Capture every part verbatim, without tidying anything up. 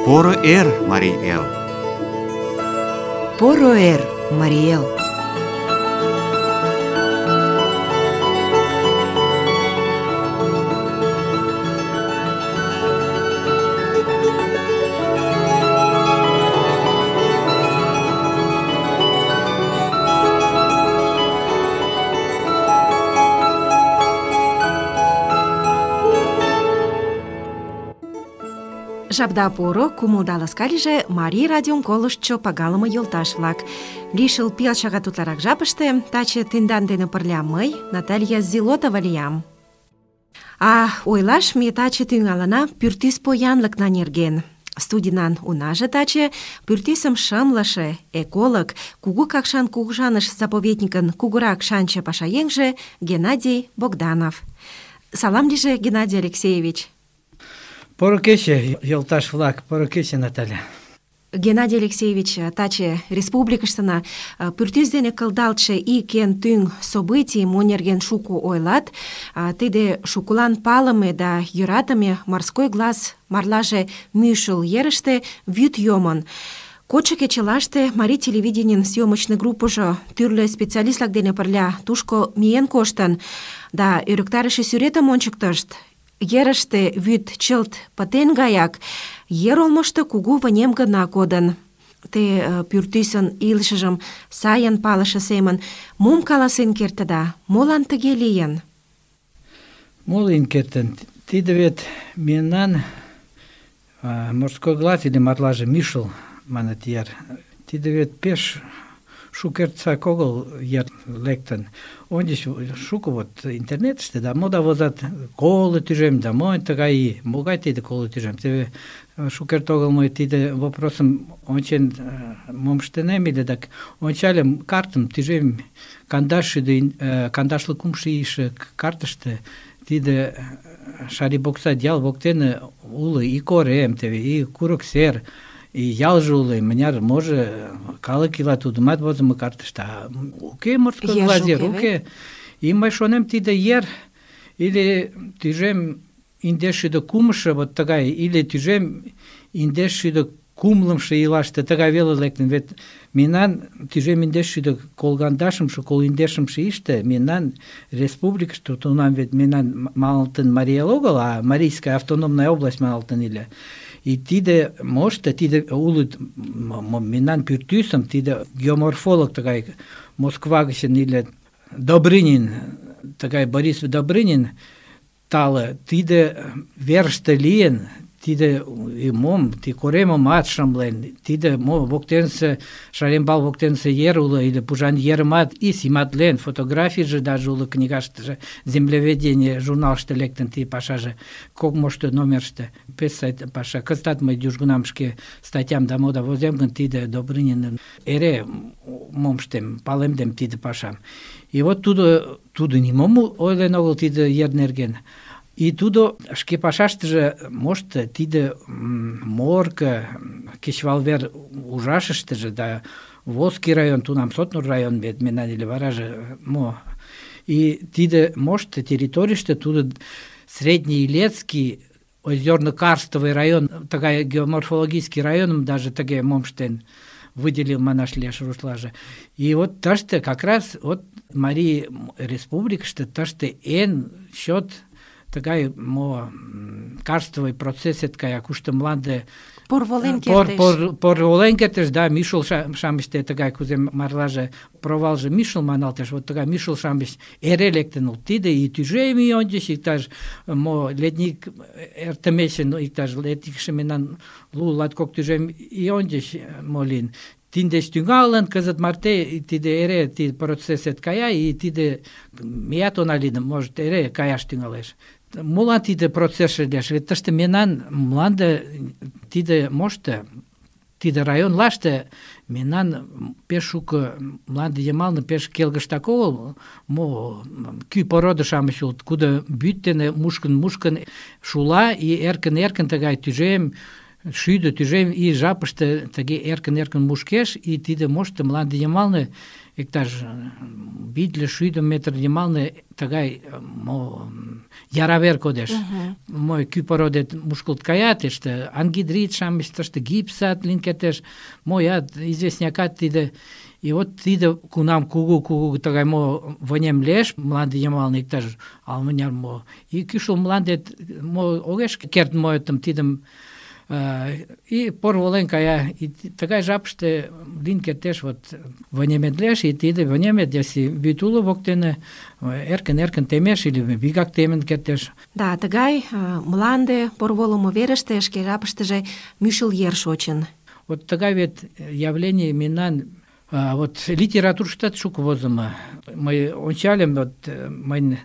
Поро эр, Марий эл! Поро эр, Марий эл! Жапда поро, кумылда ласка лийже Марий радиом колыштшо пагалыме йолташ-влак. Лишыл пел шагат утларак жапыште таче тендан дене пырля мый, Наталья Зилотова лиям. А ойлаш ме таче тӱҥалына пӱртӱс поянлыкна нерген. Студийнан унаже таче пӱртӱсым шымлыше, эколог, Кугу Какшан кугыжаныш заповедникын кугурак шанче пашаеҥже Геннадий Богданов. Салам лийже, Геннадий Алексеевич. Поро кече, йолташ-влак, поро кече, Наталья. Геннадий Алексеевич, таче республикыштына пӱртӱс дене кылдалтше ик эн тӱҥ событий мо нерген шуко ойлат. Тиде шукылан палыме да йӧратыме «Морской глаз» марлаже мӱшыл ерыште вӱд йомын. Кодшо кечылаште Марий телевиденийын съёмочный группыжо тӱрлӧ специалист-влак дене пырля тушко миен коштын да ӧрыктарыше сӱретым ончыктышт. Ерыште вӱд чылт пытен гаяк, ер олмышто кугу вынем гына кодын. Те пӱртӱсын илышыжым сайын палыше семын мом каласен кертыда? Молан тыге лийын? Мо лийын кертын? Тиде вет мемнан «Морской глаз» или марлаже «Мӱшыл» маныт ер. Тиде вет пеш шукертсак огыл ер лектын. Ончыч шуко вот интернетыште да мода возат коло тӱжем да монь тыгай, могай тиде коло тӱжем. Теве шукерте огыл мый тиде вопросым ончен мом ыштынем ыле, так ончальым картым тӱжем кандашшӱдӧ кандашлу кумшо ийше картыште тиде Шарибокса ял воктене уло и корем, теве и курык сер, и ялже уло, мыняр може калык ила тудымат возымо картыште. Уке «Морской глаз» ер, уке. И мый шонем, тиде ер или тӱжем индешшӱдӧ кумшо вот тыгай, или тӱжем индешшӱдӧ кумлымшо ийлаште тыгай веле лектын. Вет мемнан тӱжем индешшӱдӧ колгандашымше, колиндешымше ийыште мемнан республикыште тунам вет мемнан маналтын Марий эл огыл, а Марийская автономная область маналтын ыле. И тиде мошто, тиде улыт мемнан пӱртӱсым, тиде геоморфолог тыгай Москва гычын иле Добрынин, тыгай Борис Добрынин тале, тиде верыште лийын, тиде и мом, ти коремымат шымлен, тиде мо воктенсе, Шарембал воктенсе ер уло, или Пужан ерымат и симатлен, фотографийже даже уло книгаштыже, землеведение журналыште лектын ти пашаже, кок мошто номерыште, пес сайт паша. Кызытат мый южгунам шке статьям да мода возем гын, тиде Добрынинын эре мом ыштем, палемдем тиде пашам. И вот тудо, тудо нимом ойлен огыл тиде ер нерген. И тудо шке пашаштыже мошто тиде Морко, кечывалвер ужашыштыже да Волжский район, тунам Сотнур район вет мемнан ыле вараже мо. И тиде мошто территорийыште тудо Средний Илецкий, Озерно-Карстовый район, тыгай геоморфологический районым даже тыге мом ыштен выделил манаш лиеш рушлаже. И вот тыште как раз вот Марий республикыште тыште эн счет тыгай мо карстовый процесс эткая, кушто мланде порволен кертеш. Пор, порволен кертеш, да, мӱшыл шамычте тыгай кузе марлаже провалже мӱшыл маналтеш, вот тыгай мӱшыл шамыч эре лектын улыт. Тиде и тӱжем ий ончыч иктаж мо летник эртымешын, иктаж летникше мемнан лу-латкок тӱжем ий ончыч мо лийын. Тиндеч тӱҥалын, кызыт марте тиде эре тиде процессет кая, и тиде меат она лийын, может, эре каяш тӱҥалеш. Молан тиде процессше лиеш? Вет тыште мемнан мланде тиде мошто, тиде районлаште мемнан пеш шуко мланде йымалне пеш келгыштак огыл, мо кӱ порода-шамыч улыт, кудо вӱд дене мушкын-мушкын шула, и эркын-эркын тыгай тӱжем шӱдӧ тӱжем ий жапыште тыге эркын-эркын мушкеш, и тиде мошто мланде йымалне иктаж витле шӱдӧ метр йымалне тыгай мо яра вер кодеш. Мо кӱ породет мушкылт кая, тыште ангидрит-шамыч, тыште гипсат лийын кертеш, моят известнякат тиде. И вот тиде кунам кугу-кугу тыгай мо вынем лиеш, мланде йымалне иктаж ала-мыняр мо, и кӱшыл мландет мо огеш керт моэтым тидым и пор волен кая. И тыгай жапыште лийын кертеш, вот вынемет лиеш, и тиде вынемет, если вӱд уло воктене, эркын-эркын темеш или вигак темен кертеш. Да, тыгай мланде порволымо верыште шке жапыштыже мӱшыл ер шочын. Вот тыгай вет явление мемнан А, вот литературыштат шуко возымо. Мый ончальым, вот мыйын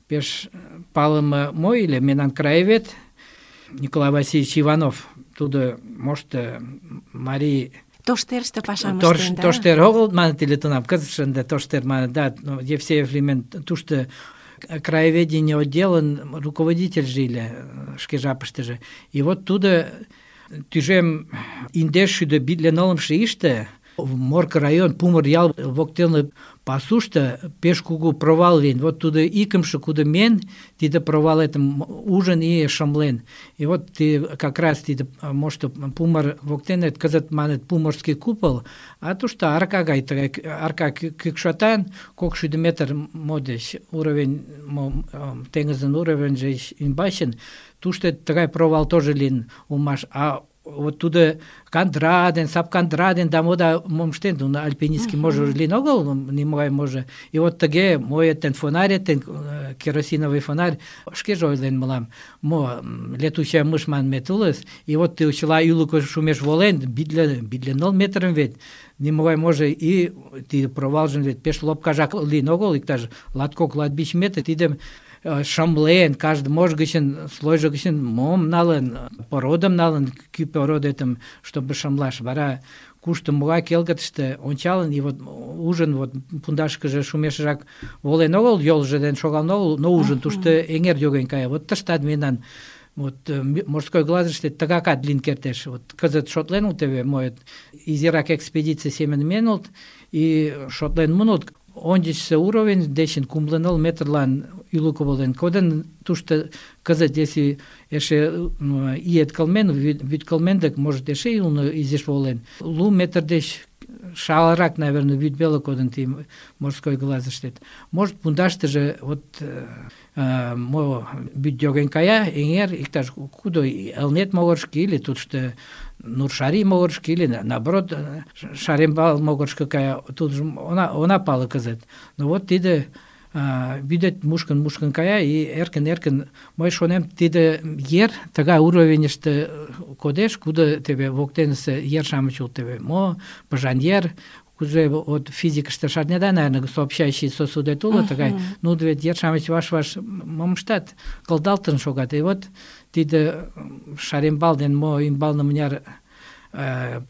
пеш палыме мо ыле, мемнан краевед Николай Васильевич Иванов, тудо мошто марий Тоштерыште пашам Тош, ыштен, да? Тоштер огыл маныт ыле тунам, кызытше ынде тоштер маныт, да, Евсеев лиймен, тушто краеведение отделын руководительже ыле шке жапыштыже. И вот тудо тӱжем индеш шӱдӧ витле нылымше ийыште Морко район, Пумыр ял воктелне пасушто пеш кугу провал лийын. Вот тудо икымше кудо мен, тиде провалетым ужын и шымлен. И вот ты как раз тиде мошто Пумыр воктене кызыт маныт Пумырский купол, а тушто арка гай, арка кӱкшотан, кок шӱдӧ метр модеш уровень, теҥызын уровеньже ӱмбачын, тушто тыгай провал тоже лийын улмаш. А вот тудо кандра ден, сапкандра ден, да мода мом ыштен, нуно альпинистский може лийын огыл, нимогай може. И вот тыге моэтын фонарьетын, керосиновый фонарь, шкеже ойлен мылам, мо летучая мышь манмет улыс, и вот ты чыла ӱлыкӧ шумеш волен, витле, витле ныл метрым вет, нимогай може, и тиде провалжын вет пеш лопкажак лийын огыл, иктаж латкок-латвич метр, тидым шымлен, каждый мож гычын, слойжо гычын мом налын, породым налын, кӱ породетым, чтобы шымлаш. Вара кушто могай келгытыште ончалын, и вот ужын, вот пундашкыже шумешыжак волен огыл, йолжо ден шогалын огыл, но ужын, тушто эҥер йоген кая. Вот тыштат мемнан вот морской глазыште тыгакат лийын кертеш. Вот кызыт шотлен ултеве, моет изирак экспедиций семын мен улт, и шотлен мунут, ончычсо уровень дечын кумло ныл метрлан ӱлыкӧ волен кодын. Тушто кызыт, если эше ийет кылмен, вӱд кылмен дык, может, эше ӱлнӧ изиш волен. Лу метр деч шалырак, наверное, вӱд веле кодын ти морской глазыштет. Может, пундаштыже вот э, мо вӱд йоген кая, эҥер, иктаж кудо Элнет могырышко или тушто Нуршари могырышко или, наоборот, Шарембал могырышко кая, тудыжо она, она пале кызыт. Но вот тиде вӱдет мушкын-мушкын кая, и эркын-эркын, мый шонем, тиде ер тыгай уровеньыште кодеш, кудо теве воктенысе ер-шамыч улыт, теве мо пыжан ер, кузе от физикыште шарнеда, наверное, сообщающий сосудет уло, тыгай, ну, вет ер-шамыч ваш-ваш мом ыштат, кылдалтын шогат. И вот тиде Шарембал ден мо ӱмбалне мыняр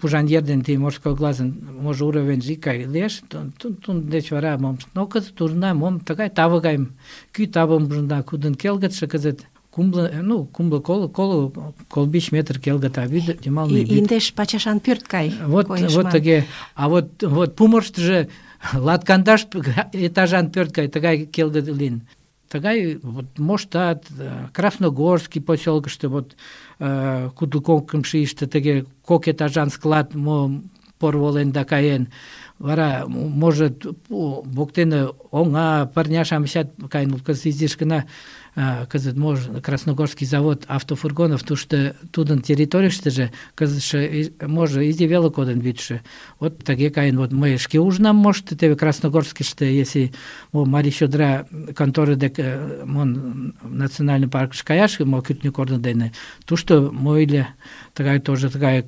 пужан ер ден ти морской глазын може уровеньже икгай лиеш, тудын деч вара мом, но кызыт ужына, мом тыгай таве гайым, кӱ тавым ужына, кудын келгытше кызыт кумло, ну, кумло коло, коло, колбич метр келгыта, вӱд йымалне вӱд. Индеш пачашан пӧрт гай Вот, коеш вот ман. тыге. А вот, вот Пумырыштыжо латкандаш этажан пӧрт гай тыгай келгыт лийын. Тыгай вот моштат, Красногорский посёлкышто, вот кудло кокымшо ийыште тыге кок этажан склад мо порволен да каен. Вара, может, воктене оҥа, пырня-шамычат каен, кызыт изиш гына кызыт може Красногорский завод автофургонов, тушто тудын территорийыштыже кызытше може изи веле кодын вӱдшӧ. Вот тыге каен. Вот мый шке ужынам, может, теве Красногорскийыште, если мо Марий чодыра конторы дек мон национальный паркыш каяш, мо кӱртньӧ корно дене, тушто мо ыле тыгай тоже тыгай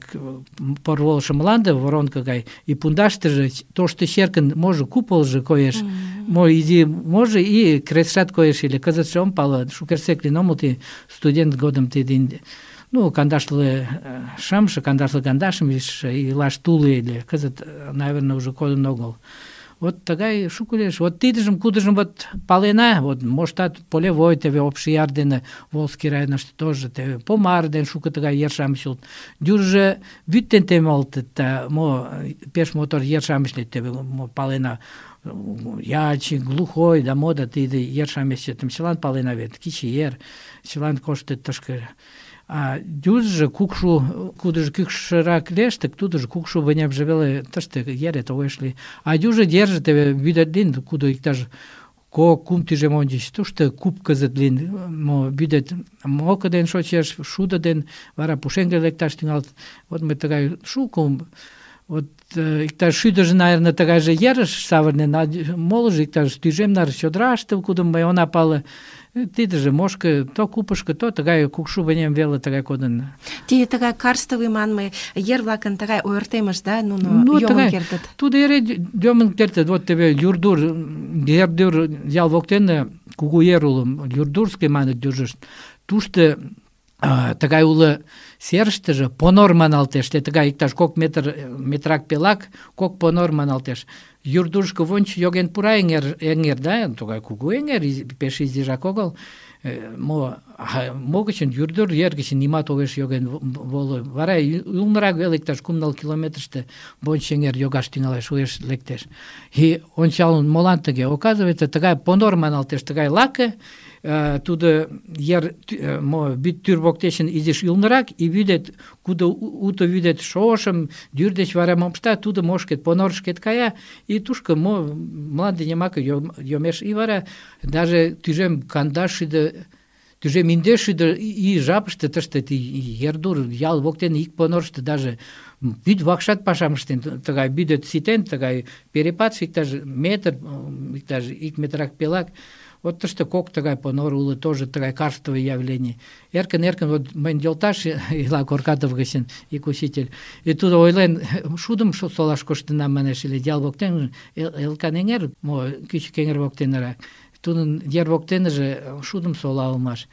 порволышо мланде, воронка гай, и пундаштыже тошто черкын може куполжо коеш, мо изи може и крестшат коеш ыле. Кызытше ом пале, шукертсек лийын омыл ти студент годым тиде, ну, кандашле шымше, кандашле кандашым илаш туле ыле. Кызыт, наверное, уже кодын огыл. Вот тыгай шуко лиеш. Вот тидыжым, кудыжым вот палена, вот моштат полевой теве Общияр дене Волжский районышто тоже теве Помар ден шуко тыгай ер-шамыч улыт. Дюржӧ вӱд ден темалтыт, да мо пеш мотор ер-шамыч лийыт, теве мо палена Ялчик, Глухой, да мо да тиде ер-шамычетым чылан палена вет, Кичи ер, чылан коштыт тышке. А дюжжо кукшу, кудыжо кӱкшырак лиеш, так тудыжо кукшу вынемже веле тыште ере толеш ли. А дюжо держи теве вӱдет лийын, кудо иктаж кок, кум тӱжем ончыч, тушто куп кызыт лийын, мо вӱдет моко ден шочеш, шудо ден, вара пушеҥге лекташ тӱҥалыт. Вот мый тыгай шуко, вот иктаж шӱдыжӧ, наверное, тыгайже ерыш савырнен, а молыжо иктаж тӱжем наре чодыраште, кудым мый она пале. Тидыже мошко то купышко, то тыгай кукшу вынем веле тыгай кодын. Тиде тыгай карстовый манме ер-влакын тыгай ойыртемышт, да, нуно Ну, йомын тыгай, кертыт. тудо эре йомын кертыт. Вот теве Юрдур, Ердур ял воктене кугу ер уло, Юрдурский маныт южышт. Тушто а, тыгай уло серыштыже понор маналтеш. Те тыгай иктаж кок метр, метрак пелак, кок понор маналтеш. Юрдурышко вонч йоген пура эҥер, эҥер, да, тугай кугу эҥер, изи- пеш изижак огыл. Э, Мо, а, мо гычын Юрдур ер гычын нимат огеш йоген во- воло. Вара ю- ӱлнырак веле иктаж кум-ныл километрыште вонч эҥер йогаш тӱҥалеш, уэш лектеш. И ончалын, молан тыге? Оказывается, тыгай понор маналтеш, тыгай лаке, э, тудо ер тӱ- э, мо вӱд тӱр воктечын изиш ӱлнырак, и вӱдет, кудо у- уто вӱдет шошым, дӱр деч вара мом ышта, тудо мошкет, понорышкет кая, и тушко мо мланде йымаке йом- йомеш. И вара даже тӱжем кандашшӱдӧ тӱжем индешшӱдӧ ий жапыште тыште ти Ердур ял воктене ик понорышто даже вӱд вакшат пашам ыштен, тыгай вӱдет ситен, тыгай перепадше иктаж метр, иктаж ик метрак пелак. Вот тыште кок тыгай понор уло, тоже тыгай карстовый явление. Эркын-эркын, вот мыйын йолташ ила Коркатов гычын, ик учитель, и тудо ойлен, шудым шу- солаш коштынам, манеш, или ял воктен, Элкан эҥер, мо кӱчык эҥер воктенырак. Тудын ер воктеныже шудым сола улмаш.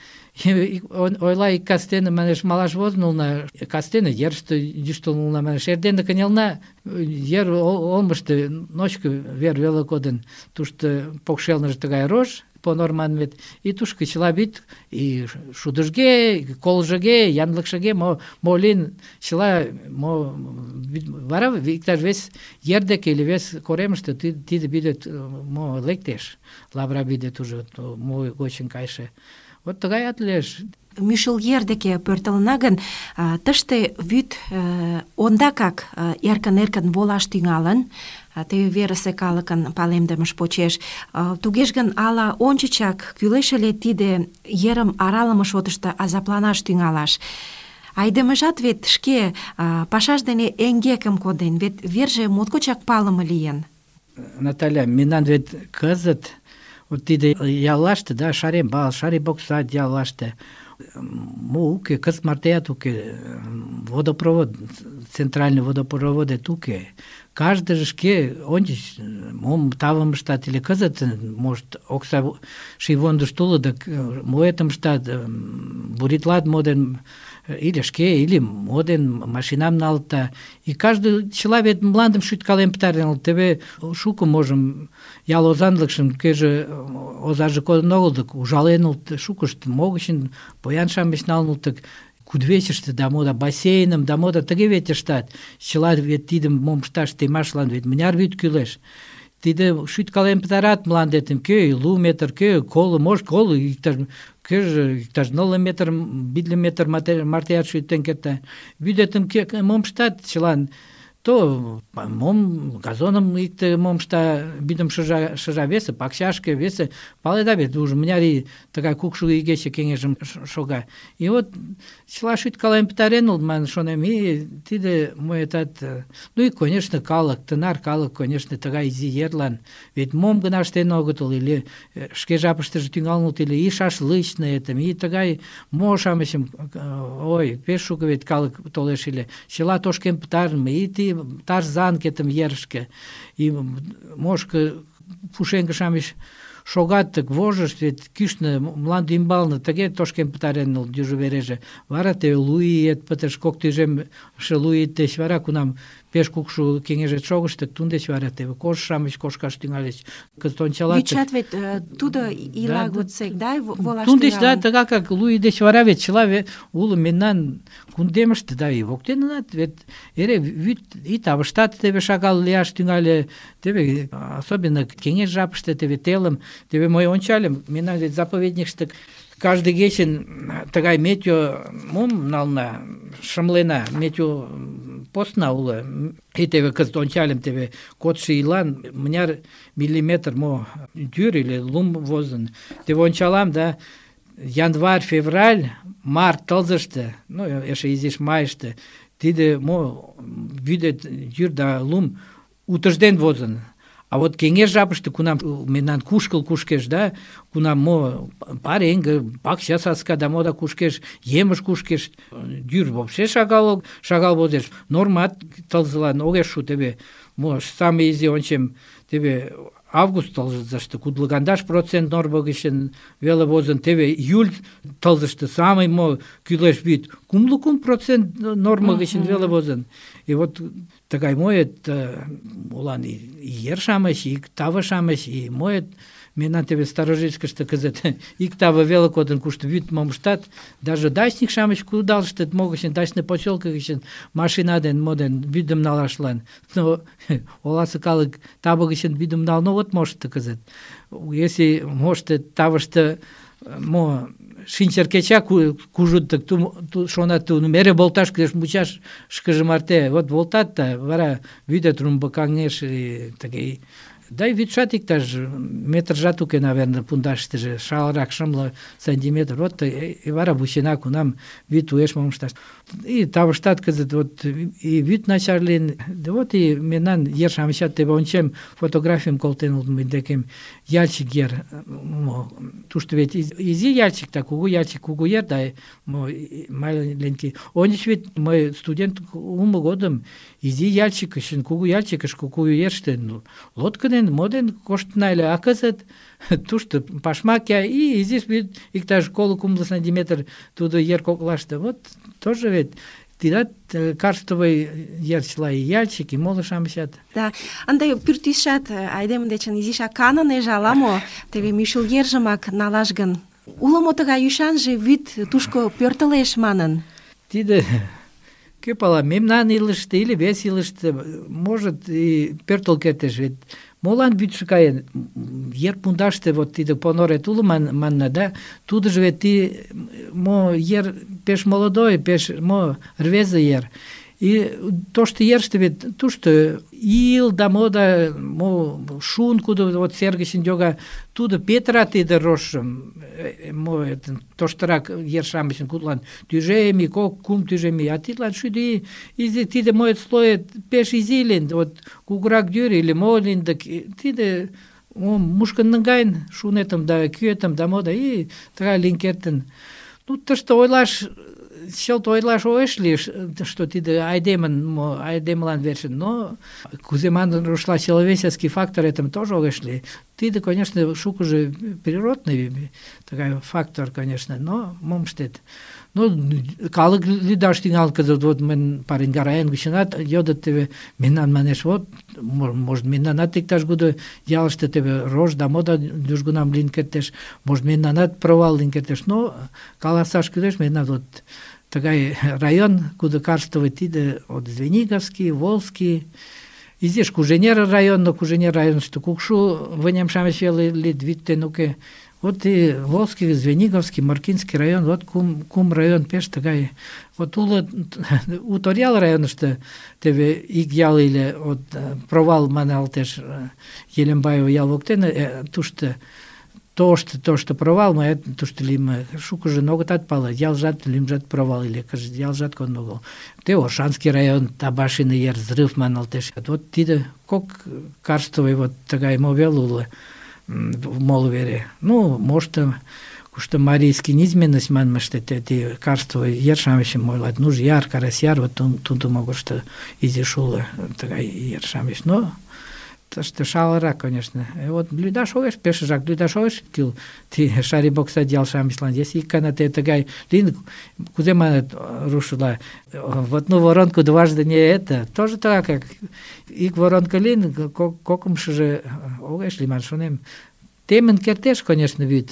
И он ойла, ик кастене, манеш, малаш возын улна, кастене ерыште йӱштыл улна, манеш, эрдене кынелна, ер ол- олмышто ночко вер веле кодын, тушто покшелныже тыгай рож, понор манмет, и тушко чыла вӱд, и шудыжге, и колжыге, янлыкшыге, мо, мо лийын, чыла, мо, вӱд- вара иктаж вес ер деке или вес коремыште ти- тиде вӱдет мо лектеш, лавыра вӱдет уже, то мо гочын кайше. Вот тыгаят лиеш. Мӱшыл ер деке пӧртылына гын, а, тыште вӱд э, ондакак э, эркын-эркын волаш тӱҥалын, а, теве верысе калыкын палемдымыж почеш. А, тугеж гын, ала ончычак кӱлеш ыле тиде ерым аралыме шотышто азапланаш тӱҥалаш. Айдемыжат вет шке а, пашаж дене эҥгекым коден, вет верже моткочак палыме лийын. Наталья, мемнан вет кызыт вот тиде яллаште, да, Шарембал, Шарибоксад яллаште, мо уке, кызыт мартеат уке, водопровод, центральный водопроводет уке. Каждыже шке ончыч мом тавым ыштат, или кызыт, может, окса шийвондышт уло, да моэтым ыштат, буритлат моден, или шке, или моден, машинам налта. И каждый чыла вет мландым шӱткален пытарен, теве шуко можым ял озанлыкшым, кӧжӧ озаже кодын огыл, дык ужален улыт, шукышт могычын поян-шамыч налын улыт, кудывечыште, да мо да бассейным, да мо да тыге вет ыштат. Чыла вет тидым мом ышташ темашлан вет мыняр вӱд кӱлеш. Тиде шӱткален пытарат мландетым, кӧ лу метр, кӧ коло, может, коло, иктаж кӧжӧ иктаж нылле метр, витле метр мате- мартеат шӱтен керта. Вӱдетым кӧ мом ыштат чылан, то мом газоным икте мом ышта, вӱдым шыжа, шыжа весе, пакчашке, весе, паледа вет, уже мыняр ий тыгай кукшу игече кеҥежым ш- шога. И вот чыла шӱткален пытарен улыт, манын шонем, и тиде моэтат, э, ну и, конечно, калык, тынар калык, конечно, тыгай изи ерлан, ведь мом гына ыштен огытыл, или э, шке жапыштыже тӱҥалын улыт, или и шашлычныйым, и тыгай мо-шамычым, э, ой, пеш шуко вет калык толеш ыле, чыла тошкен пытарыме, и ти тарзанкетым ерышке, и мошко пушеҥге-шамыч шогат, тык вожышт, вет кӱшнӧ мланде ӱмбалне тыге тошкен пытарен ыле южо вереже. Вара теве лу иет пытыш, кок тӱжемше лу ий деч вара, кунам пеш кукшо кеҥежет шогыштык, тудын деч вара теве кож-шамыч кошкаш тӱҥальыч. Кызыт ончалат. Вӱдшат вет э, тудо ила годсек, да, волаш Тудын деч, да, тӱҥалын. тыгакак лу ий деч вара вет чыла ве- уло мемнан кундемыште, да, и воктенынат, вет эре вӱд и тавыштат теве шагал лияш тӱҥале, теве особенно кеҥеж жапыште, теве телым, теве мый ончальым, мемнан вет заповедникыште каждый кечын тыгай метео мом нална, шымлена, метео постна уло. И теве кызыт ончальым, теве кодшо ийлан мыняр миллиметр мо тӱр или лум возын. Теве ончалам, да, январь, февраль, март тылзыште, ну, эше изиш майыште, тиде мо вӱдет йӱр да лум утыжден возын. А вот кеҥеж жапыште, кунам мемнан кушкыл кушкеш, да, кунам мо пареҥге, пакча саска да мо да кушкеш, емыж кушкеш, йӱр вообще шагал, шагал возеш. Нормат тылзылан огеш шу, теве мо самый изи ончем, теве август тылзыште кудлыгандаш процент норма гычын веле возын, теве июль тылзыште самый мо кӱлеш вӱд кумло кум процент норма гычын веле возын. И вот тыгай моет молан и ер-шамыч, и таве-шамыч, и моет мемнан теве Старожитскыште кызыт ик таве веле кодын, кушто вӱд мом ыштат, даже дачник-шамыч кудалыштыт мо гычын, дачный посёлко гычын машина ден мо ден вӱдым налашлан. Но оласе калык таве гычын вӱдым налын огыт мошто кызыт. Если моштет тавыште мо шинчыр кеча кужыт, так ту шонат, ту эре волташ кӱлеш мучашкыже марте. Вот волтат да, вара вӱдет румбыкаҥеш, тыге. Да и вӱдшат иктаж метржат уке, наверное, пундаштыже, шалрак, шымле сантиметр. Вот и вара вучена, кунам вӱд уэш мом ышташ. И тавыштат кызыт вот и вӱд начар лийын. Да вот и мемнан ер-шамычат, теве ончем, фотографийым колтен улыт мый декем, ялчик ер. Тушто вет изи ялчик, да, кугу ялчик, кугу ер, да, маленький. Ончыч вет мый студент улмо годым изи ялчик үшін, кугу ялчикыш, кугу ерыште лодка ден, мо ден коштына ыле, а кызыт тушто пашмакя и изиш вӱд иктаж коло-кумло сантиметр тудо ер коклаште. Вот тоже вет тидат карстовый ер чыла, и ялчик, и моло-шамычат. Да, ынде пӱртӱсшат айдеме дечын изишак канынеже ала-мо, теве мӱшыл ержымак налаш гын. Уло мо тыгай ӱшанже вӱд тушко пӧртылеш манын? Тиде кӧ пала, мемнан илыште или вес илыште, может, и пӧртыл кертеш, вет молан вӱдшӧ каен? Ер пундаште вот тиде понорет уло манна, да, тудыжо вет ти мо ер пеш молодой, пеш мо рвезе ер. И тошто ерыште вет тушто ил да мо да мо шун, кудо вот сер гычын йога, тудо петыра тиде рожшым, мо тоштырак ер-шамычын кудлан тӱжем ий, кок, кум тӱжем ий, а тидлан шӱдӧ изи, тиде моет слоет пеш изи лийын, вот кугурак йӱр или мо лийын, да тиде мушкын наҥгаен шунетым да кӱэтым да мо да, и тыгай лийын кертын. Ну, тыште ойлаш, чылт ойлаш огеш лий, что тиде айдемын, мо айдемылан верчын, но кузе манын рушла, человеческий фактор этым тоже огеш лий. Тиде, конечно, шукыжо природный такой фактор, конечно, но мом ыштет. Ну, калык лӱдаш тӱҥалын кызыт, вот мӹнь пареҥга район гычынат йодыт, теве мемнан манеш, вот, может, мемнанат иктаж-кудо ялыште теве рож да мо да южгунам лийын кертеш, может, мемнанат провал лийын кертеш, но каласаш кӱлеш, мемнан вот тыгай район, кудо карстовый, тиде от Звениговский, Волжский, изиш Куженер район, но Куженер районышто кукшу вынем-шамыч веле лийыт, вӱд ден уке. Вот и Волжский, Звениговский, Маркинский район, вот кум, кум район пеш тыгай. Вот уло у Торъял районышто теве ик ял иле, вот провал маналтеш Елембаева ял воктене, тушто тошто, тошто провал, ма тушто лийме шукыжо огытат пале, ялжат лӱмжат провал иле, кызыт ялжат конн огыл. Те Оршанский район, Табашиный ер, взрыв маналтеш. Вот тиде кок карстовый вот тыгай мо веле уло. Моло вере. Ну, может, кушто марийский низменность манмыште, те карстовый ер-шамычым ойлат, ну, яр, карасяр, вот тудо могышто изиш уло тыгай ер-шамыч. Но тыште шалырак, конечно. И вот лӱдаш огеш, пешыжак лӱдаш огеш кӱл ти шарибокс одеял-шамычлан. Если ик гана те тыгай лийын, кузе маныт рушла, в одну воронку дважды не это, тоже так, как ик воронка лийын, кокымшыжо огеш лийман, шонем. Темын кертеш, конечно, вӱд.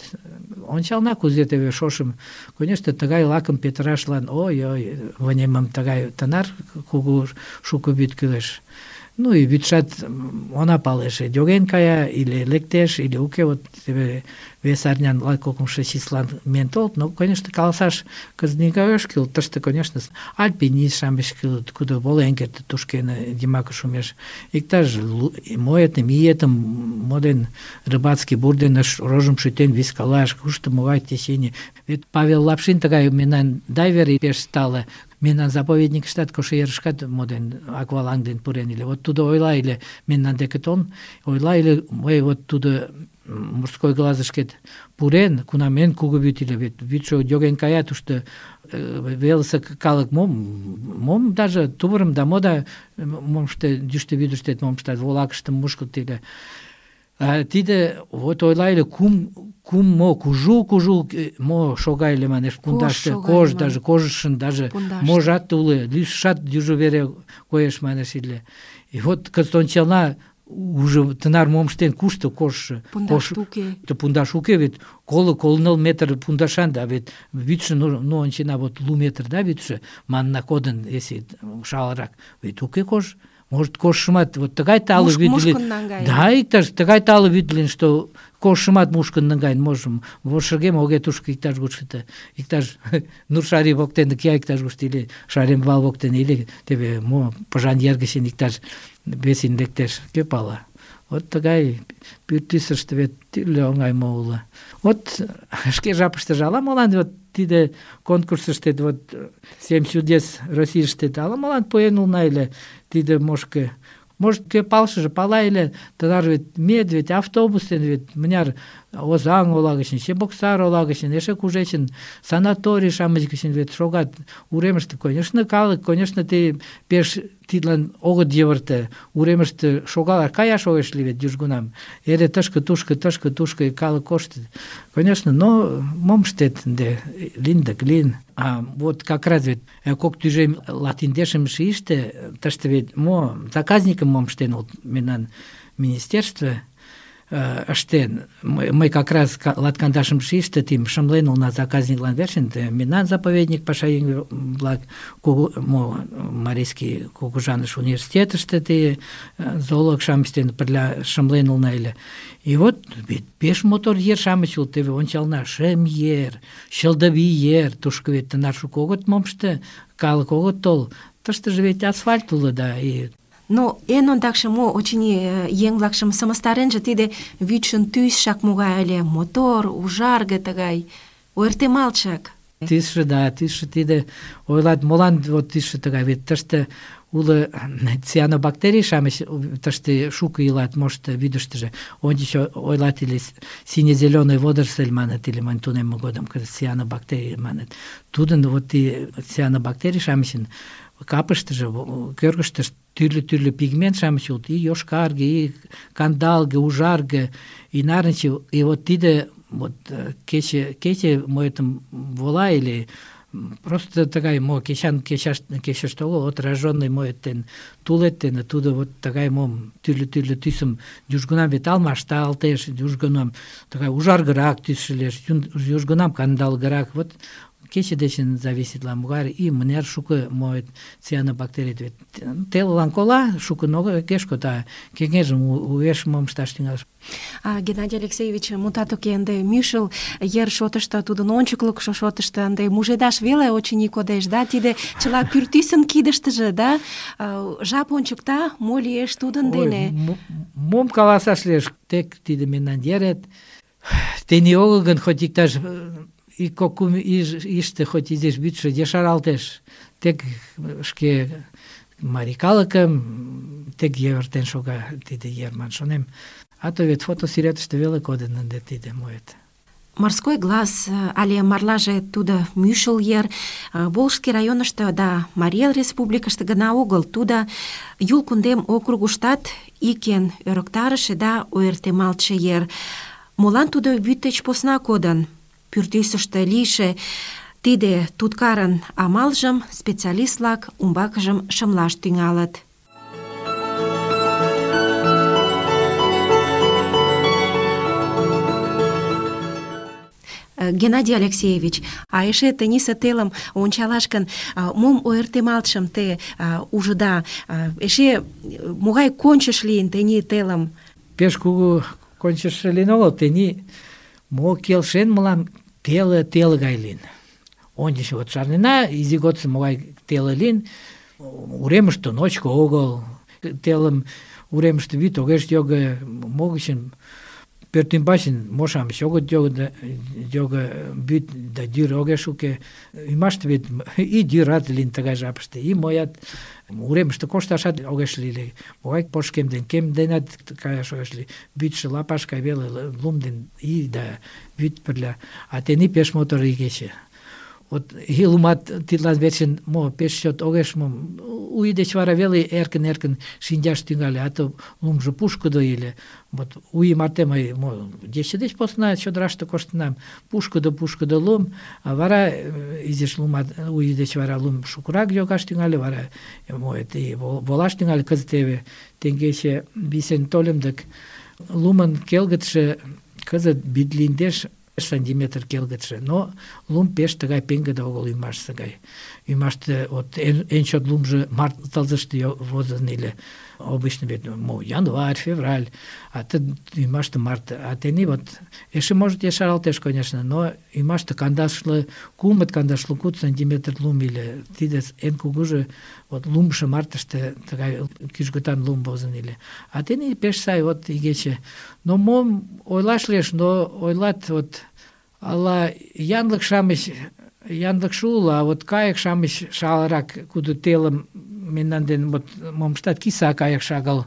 Ончална кузе теве шошым, конечно, тыгай лакым петырашлан, ой-ой, вынемым тыгай тынар кугу шуко вӱд кӱлеш. Ну и вӱдшат она палеш, йоген кая, или лектеш, или уке, вот теве вес арнян латкокымшо числан миен толыт, но, конечно, каласаш кызыт огеш кӱл, тыште, конечно, альпинист-шамыч кӱлыт, кудо волен кертыт тушкене йымаке шумеш. Иктаж моэтым, иетым моден, рыбацкий бур дене рожым шӱтен вискалаш, кушто могай течение. Вет Павел Лапшин тыгай мемнан дайвер пеш тале, мемнан заповедникыштат Кошерышкат моден, акваланг ден пурен, или вот тудо ойла, или мемнан деке толын, ойла, или мый вот тудо морской глазышкет пурен, кунам эн кугу вӱд ыле, вет вӱдшӧ йоген кая, тушто велысе калык мом, мом даже тувырым да мо да мом ыште, йӱштӧ вӱдыштет мом ыштат, волакыштым мушкыт ыле. А тиде вот ойла ыле, кум кум мо кужу-кужу мо шога ыле манеш пундаште, кож даже кожышын даже можат уло, лӱсшат южо вере коеш манеш ыле. И вот кызыт ончална, уже тынар мом ыштен, кушто кожшо? Пундаш уке. Пундаш уке, вет коло коло метр пундашан, да, вет вӱдшӧ, ну, ну ончена, вот лу метр, да, вӱдшӧ, манна кодын, если шалырак, вет уке кож. Может, кожшымат вот тыгай тале вӱд лийын. Да, иктаж тыгай тале вӱд лийын, что кожшымат мушкын наҥгаен, можым вошыргем оге тушко иктаж гушто, иктаж Нуршари воктене кия иктаж гушто, или Шаремвал воктене, или теве мо Пыжан-ер гычын иктаж весин лектеш, кӧ пала. Вот тыгай пӱртӱсыштӧ вет тӱрлӧ оҥай мо уло. Вот шке жапыштыже ала-молан вот тиде конкурсыштет, вот «Семь чудес Российыштет» ала-молан пуэн улна ыле тиде мошко. Может, кӧ палышыже пала ыле, тынар вет медведь, автобус дене вет мыняр Озаҥ ола гычын, Чебоксар ола гычын, эше кужечын санаторий-шамыч гычын вет шогат уремыште. Конечно, калык, конечно, те пеш тидлан огыт йывырте. Уремыште шогалаш, каяш огеш лий вет южгунам. Эре тышке-тушко, тышке-тушко калык коштыт. Конечно, но мом ыштет ынде, лийын дык лийын. А вот как раз вет кок тӱжем латиндешым шийыште, тыште вет мо заказникым мом ыштен улыт мемнан министерство ыштен. Мый как раз латкандашым шийыште тим шымлен улна заказниклан верчын, мемнан заповедник пашаеҥ-влак мо Марийский Кугыжаныш университетыште те зоолог-шамыч дене пырля шымлен улна ыле. И вот вет пеш мотор ер-шамыч улыт, теве ончална, шем ер, чылдывий ер, тушко вет тынар шуко огыт мом ыште, калык огыт тол. Тыштыже вет асфальт уло, да, и но эн ондакше мо, очыни, еҥ-влакшым сымыстаренже тиде вӱдшын тӱсшак могай ыле, мотор, ужарге тыгай, ойыртемалтшак. Тӱсшӧ, да, тӱсшӧ тиде, ойлат, молан вот тӱсшӧ тыгай, вет тыште уло цианобактерий-шамыч, тыште шуко илат, может, вӱдыштыжӧ. Ончыч ойлат, или сине-зеленый водоросль маныт, или мынь тунемме годым цианобактерий маныт. Тудын вот и цианобактерий-шамычын капыштыже, кӧргыштышт тӱрлӧ-тӱрлӧ пигмент-шамыч улыт, и йошкарге, и кандалге, ужарге, и нарынче. И вот тиде вот кече, кече моэтым вола, или просто тыгай мо кечан кечаш кечыште огыл, отраженный моэттен тулеттен, тудо вот тыгай мом тӱрлӧ-тӱрлӧ тӱсым южгунам вет алмашталтеш, южгунам тыгай ужаргырак тӱсшӧ лиеш, южгунам кандалгырак. Вот кече дечын зависитла могай, и мыняр шуко моэт цианобактерий. Вет телылан кола, шукын огеш код, а кеҥежым уэш мом ышташ тӱҥалеш. А, Геннадий Алексеевич, мутат уке, ынде мӱшыл ер шотышто, тудын ончыклыкшо шотышто ынде мужедаш веле, очыни, кодеш, да, тиде чыла пӱртӱсын кидыштыже, да, жап ончыкта, мо лиеш тудын дене. Мом каласаш лиеш, тек тиде мемнан ерет, тений огыл гын, хоть иктаж ик кок-кум ийыште хоть изиш вӱдшӧ ешаралтеш, тек шке марий калыкым тек йывыртен шога тиде ер, ман шонем. А то вет фотосӱретыште веле кодын ынде тиде моэт. Морской глаз але марлаже тудо Мӱшыл ер, Волжский районышто да Марий Эл Республикыште гына огыл, тудо Юл кундем округыштат икен ӧрыктарыше да ойыртемалтше ер. Молан тудо вӱд деч посна кодын? Пӱртӱсыштӧ лийше тиде туткарын амалжым специалист-влак умбакыжым шымлаш тӱҥалыт. Геннадий Алексеевич, а эше тенийсе телым ончалаш гын, мом ойыртемалтшым те ужыда? Эше могай кончыш лийын тений телым? Пеш кугу кончыш лийын огыл, тений мо келшен мылам теле теле гай лийын. Ончыч вот шарнена, изи годсо могай теле лийын, уремыште ночко огыл, телым уремыште вӱд огеш його, могычын пӧртӱмбачын мо-шамыч огыт його, вӱд да йӱр огеш уке. Ӱмаште вет и йӱрат лийын тыгай жапыште, и моят уремыште кошташат огеш лий. Могай пошкем ден кем денат каяш огеш лий. Вӱдшӧ лапаш гай веле, лум ден и да вӱд пырля. А тений пеш мотор игече. Вот и лумат тидлан верчын мо пеш чот огеш мо у ий деч вара веле эркын-эркын шинчаш тӱҥале, а то лумжо пушкыдо ыле. Вот у ий марте мый мо ече деч посна чодыраште коштынам, пушкыдо-пушкыдо лум, а вара изиш лумат у ий деч вара лум шукырак йогаш тӱҥале, вара мо и волаш тӱҥале. Кызыт теве теҥгече висен тольым дык лумын келгытше кызыт вӱд линдеш сантиметр келгытше, но лум пеш тыгай пеҥгыде огыл ӱмашсе гай. Ӱмаште вот эн чот лумжо март тылзыште возын ыле. Обычно вет мо январь, февраль, а ты ӱмаште март. А тений вот эше может ешаралтеш, конечно, но ӱмаште кандашле кумыт, кандашле куд сантиметр лум ыле. Тиде эн кугужо вот лумшо мартыште тыгай кӱжгытан лум возын ыле. А тений пеш сай вот игече. Но мом ойлаш лиеш, но ойлат вот ала янлык-шамыч янлыкше уло, а вот кайык-шамыч шалырак, кудо телым мемнан ден вот момыштат киса кайык шагал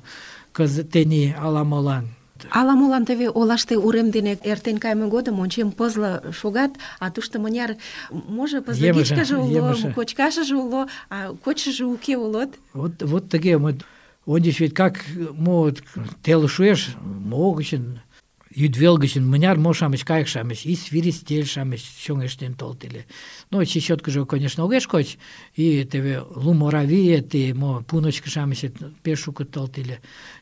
кызыт тений ала-молан. Ала-молан теве олаште урем дене эртен кайме годым ончем, пызле шогат, а тушто мыняр, може, пызлыгичкыже уло, кочкашыже уло, а кочшыжо уке улот. Вот, вот тыге, вот, ончыч вет как мо теле шуэш, мо гычын йӱдвел гычын мыняр мо-шамыч, кайык-шамыч, и свиристель-шамыч чоҥештен толыт ыле. Ну, чечёткыжо, конечно, огеш коч, и теве лум оравиет, и мо пуночко-шамычет пеш шуко толыт ыле.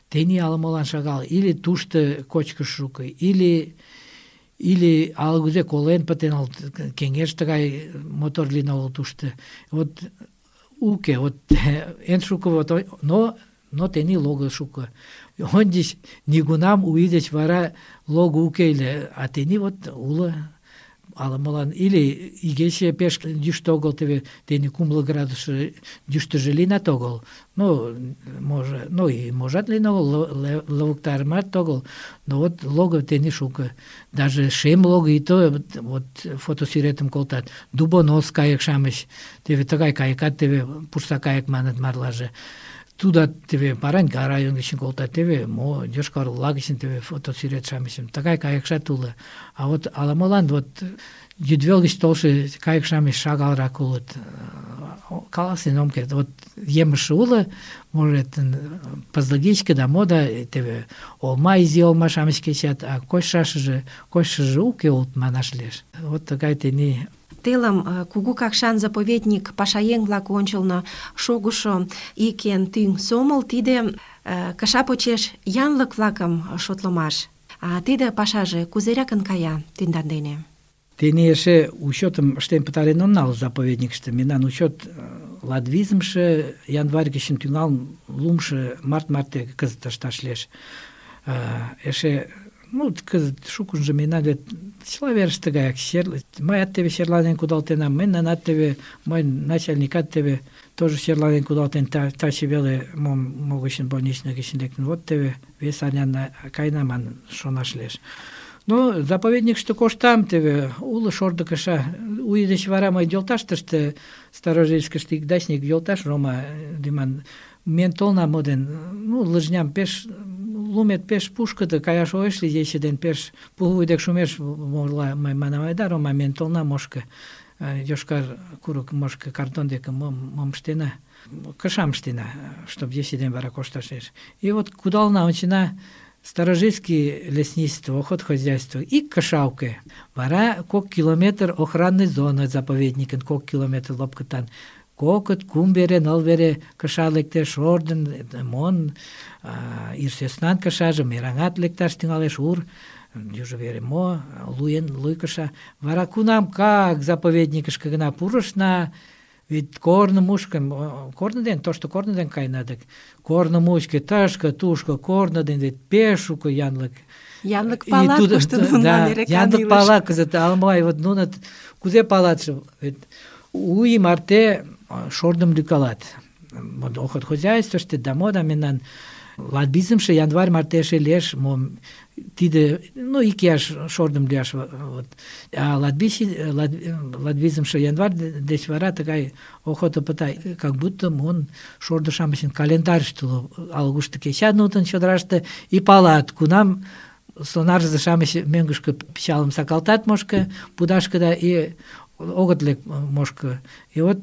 Тений ала-молан шагал, или тушто кочкыш шуко, или или ала-кузе колен пытен, кеҥеж тыгай мотор лийын огыл тушто. Вот уке, вот эн шуко, вот, но но тений лого шуко. Ончыч нигунам у ий деч вара лого уке ыле, а тений вот уло ала-молан. Или игече пеш йӱштӧ огыл, теве тений кумло градус йӱштыжӧ лийынат огыл. Ну, може, ну и можат лийын огыл, лывыктарымат огыл, но вот лого тений шуко. Даже шем лого и то вот фотосӱретым колтат. Дубонос кайык-шамыч, теве тыгай кайыкат, теве пурса кайык маныт марлаже. Тудат теве Бараньга район гычын колтат, теве мо Йошкар-Ола гычын теве фотосӱрет-шамычым. Тыгай кайыкшат уло. А вот ала-молан вот йӱдвел гыч толшо кайык-шамыч шагалрак улыт. Каласен ом керт. Вот емыжше уло, может, пызлыгичке да мо да теве олма, изи олма-шамыч кечат, а кочшашыже, кочшыжо уке улыт манаш лиеш. Вот тыгай тений. Телым Кугу Какшан заповедник пашаеҥ-влак ончылно шогышо ик эн тӱҥ сомыл — тиде кыша почеш янлык-влакым шотлымаш. А тиде пашаже кузеракын кая тендан дене? Тений эше учётым ыштен пытарен онал заповедникыште. Мемнан учёт латвизымше январь гычын тӱҥалын лумшо март марте кызыт ышташ лиеш. Эше ну, кызыт шукынжо мемнан вет чыла верыште гаяк. Мыят теве черланен кудалтенам, мемнанат теве, мой начальникат теве тоже черланен кудалтен, таче веле мом могычын больничный гычын лектын. Вот теве вес арнян каена манын шонаш лиеш. Ну, заповедникыште коштам, теве уло шордо кыша. У ий деч вара мый йолташтыште, Старожильскыште ик дачник йолташ Рома лӱман миен толынам моден. Ну, лыжням пеш лумет пеш пушкыдо, каяш огеш лий, ече ден пеш пулвуй дек шумеш, молла мый манам айда, Рома, мен толна мошко, йошкар курык мошко картон деке мом, мом ыштена, кышам ыштена, чтоб ече ден вара кошташ лиеш. И вот кудална ончена старожильский лесничество, охотхозяйство, ик кышауке. Вара кок километр охранный зона заповедникын, кок километр лопкытан. Кокыт, кум вере, ныл вере кыша лектеш, орден, мон, ир сӧснан кышаже, мераҥат лекташ тӱҥалеш, ур, южо вере мо, луен, луй кыша. Вара кунам как заповедникышке гына пурышна, вет корно мушкым, корно ден, тошто корно ден каена дык. Корно мучко, тышке, тушко, корно ден, вет пеш шуко янлык. Янлык палат, кушто нунылан эре канилыш. Янлык пала кызыт, алмай, вот нунат кузе палатше, вет у ий марте шордым лӱкалат. Охотхозяйствыште да мода мемнан латвизымше январь марте эше лиеш, мом тиде, ну, икияш шордым лӱяш. Вот. А латвизымше январь деч вара тыгай охота пыта, как будто мон шордо-шамычын календарьыште уло, ала-кушто кечат нутын чодыраште и палат, кунам сонарзе-шамыч мӧҥгышкӧ пычалым сакалтат мошко пудашкыда и огыт лек мошко. И вот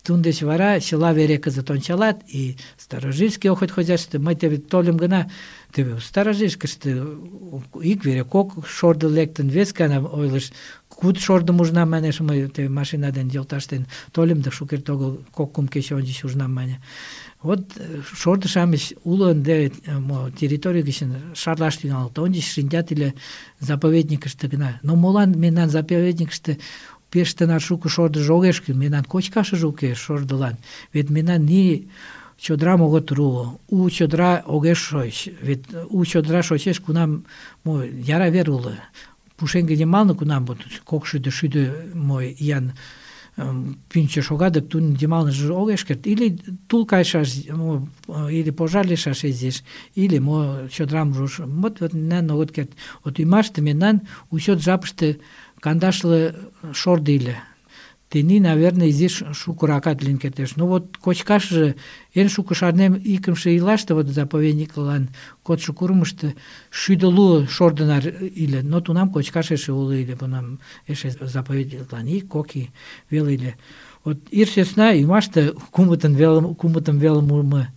тун деч вара чыла вере кызыт ончалат, и старожильский охотхозяйство, мый теве тольым гына, теве старожильскыште ик вере кок шордо лектын, вес гана ойлыш, куд шордым ужнам манеш, мый теве машина ден йолташ ден тольым, да шукерте огыл кок-кум кече ончыч ужнам мане. Вот шордо-шамыч уло ынде территорий гычын шарлаш тӱҥалыт, ончыч шинчат ыле заповедникыште гына. Но молан мемнан заповедникыште пеш тынар шуко шордыжо огеш кӱл, мемнан кочкашыже уке шордылан. Вет мемнан ни чодырам огыт ру, у чодыра огеш шоч. Вет у чодыра шочеш, кунам мо яра вер уло. Пушеҥге йымалне кунам вот кокшӱдӧ-шӱдӧ мо иян пӱнчӧ шога, дык тудын йымалныже огеш керт. Или тул кайышаш, или пожар лийшаш изиш, или мо чодырам руш. Вот мемнан огыт керт. Вот ӱмаште мемнан учет жапыште кандашле шордо иле. Тений, наверное, изиш шукыракат лийын кертеш. Ну вот кочкашыже эн шуко шарнем икымше ийлаште, вот заповедниклан кодшо курымышто шӱдӧ лу шордынар иле. Но тунам кочкаш эше уло иле, тунам эше заповедниклан ик, кок ий веле иле. Вот ир сӧсна ӱмаште кумытын веле, кумытын веле мурмо.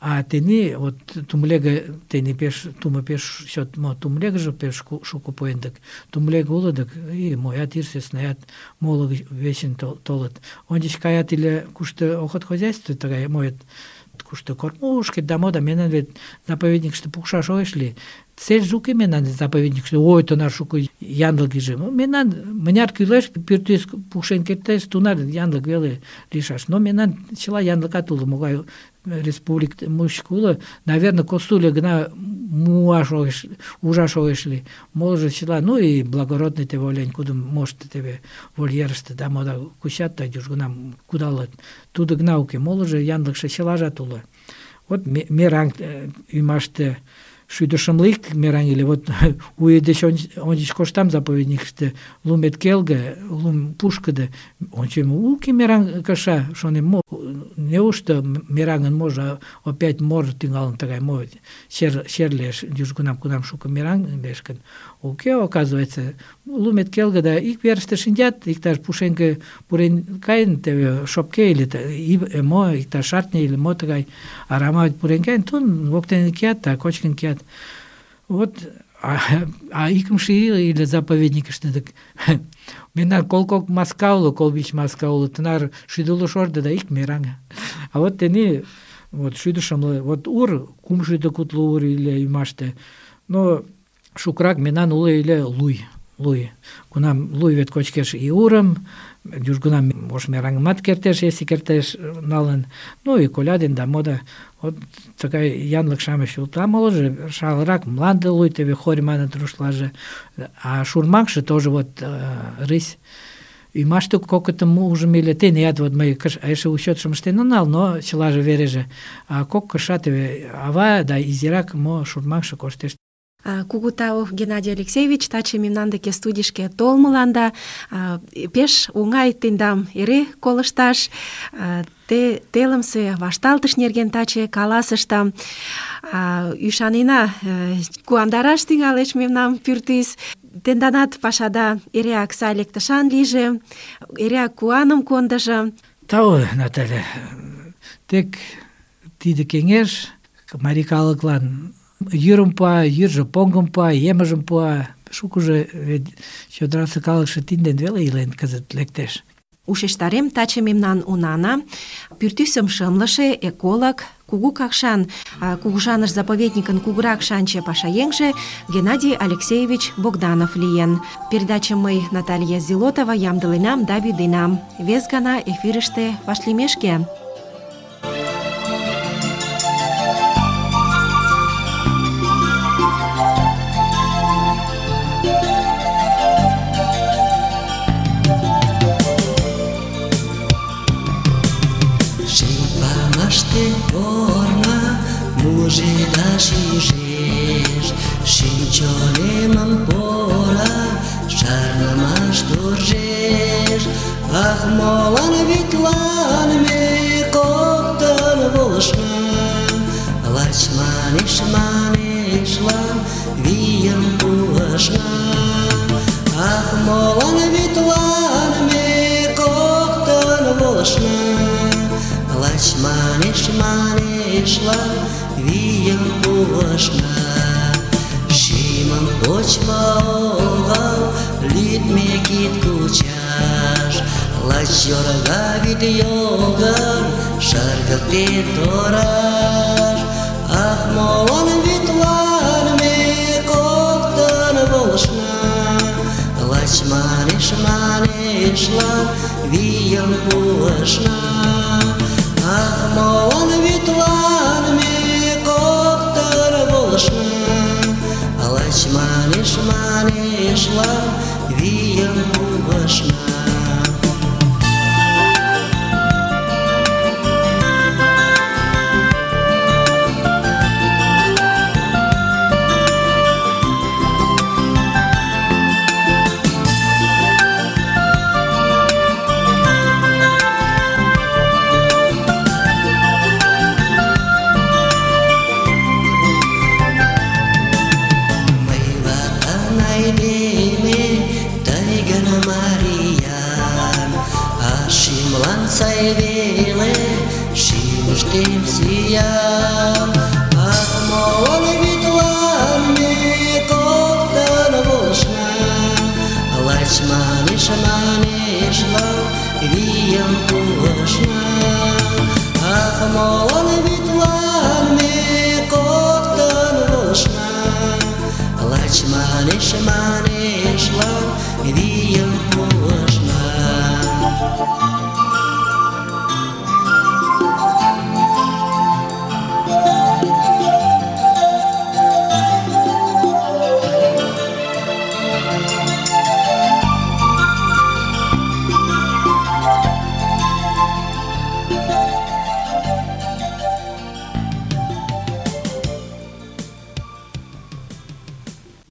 А тений, вот тумлеге, тений пеш, тумо пеш чот, мо тумлегыже пеш шуко пуэн дык, тумлеге уло дык, и моят ир сӧснаят моло вечын толыт. Ончыч каят иле кушто охотхозяйство тыгай моет, кушто кормушкет да мода, мемнан вет заповедникыште пукшаш огеш лий. Цельже уке мемнан заповедникыште, ой, тынар шуко янлык иже. Мемнан мыняр кӱлеш, пӱртӱс пукшен кертеш, тунар янлык веле лийшаш. Но мемнан чыла янлыкат уло, могай республик мучко уло, наверное, косуле гына муаш огеш, ужаш огеш лий. Молыжо чыла, ну и благородный теве олень, кудым мошто теве вольерыште да мода кучат, да южгунам кудалыт. Тудо гына уке, молыжо янлыкше чылажат уло. Вот мераҥ ӱмаште шӱдӧ шымле ик мераҥ иле. Вот уэ деч ончыч коштам заповедникыште, лумет келге, лум пушкыдо. Ончем, уке мераҥ кыша, шонем, мо, неужто мераҥын можо опять мор тӱҥалын тыгай, мо чер, чер лиеш южгунам, кунам шуко мераҥ лиеш гын. Уке, оказывается, лумет келге да ик верыште шинчат, иктаж пушеҥге пурен каен, теве шопке или мо, иктаж шартне или мо тыгай арама пурен каен, тун воктен кият, да кочкын кият. Вот, а, а икымше ий или заповедникыште дык мемнан колкок маска уло, колбич маска уло, тынар шӱдӧ лу шордо да ик мераҥ. А вот тений вот шӱдӧ шымле, вот ур, кум шӱдӧ кудло ур иле ӱмаште. Но шукырак мемнан уло иле луй, луй. Кунам луй вет кочкеш и урым, южгунам ош мераҥымат кертеш, если кертеш налын. Ну и коля ден да мода. Вот тыгай янлык-шамыч улыт. А молыжо шалырак мланде луй, теве хорь маныт рушлаже. А шурмакше тоже вот рысь. Ӱмаште кокытым ужым иле. Теният вот мый эше учётшым ыштен онал, но чылаже вереже. А кок кыша теве ава да изирак мо шурмакше коштеш. Кугу тау, Геннадий Алексеевич, таче мемнан деке студийышке толмыланда. Пеш оҥай тендам эре колышташ. Те телымсе вашталтыш нерген таче каласышда. Ӱшанена, куандараш тӱҥалеш мемнам пӱртӱс. Тенданат пашада эреак сай лектышан лийже, эреак куаным кондыжо. Тау, Наталья, тек тиде кеҥеж марий калыклан йӱрым пуа, йӱржӧ поҥгым пуа, емыжым пуа. Шукыжо вет чодырасе калыкше тидын дене веле илен кызыт лектеш. Ушештарем таче мемнан унана, пӱртӱсым шымлыше эколог, Кугу Какшан кугыжаныш заповедникын кугурак шанче пашаеҥже Геннадий Алексеевич Богданов лийын. Передачым мый, Наталья Зилотова, ямдыленам да вӱденам. Вес гана эфирыште вашлиймешке. Mujeda шижеш, шинчонемым пора, шарнымаш туржеш. Ах, молан витлан ме коктын волышна, лач манеш-манешлан вийым пуышна. Ах, молан витлан ме коктын волышна, лач манеш-манешлан вийым пуышна. Шӱмым почмо огыл, лӱдмӧ кид кучаш, лач йорга вӱд йогын шыргыктен тораш. Ах, молан вӱдлан ме коктын волышна, лач манеш-манешлан вийым пуышна. Ах, молан вӱдлан ме коктын волышна, лач манеш-манешлан вийым пуышна. Сай веле, шӱмыштем сӱан. Ах, молан вӱдлан ме коктын волышна, лач манеш-манешлан вийым пуышна. Ах, молан вӱдлан ме коктын волышна, лач манеш-манешлан вийым пуышна.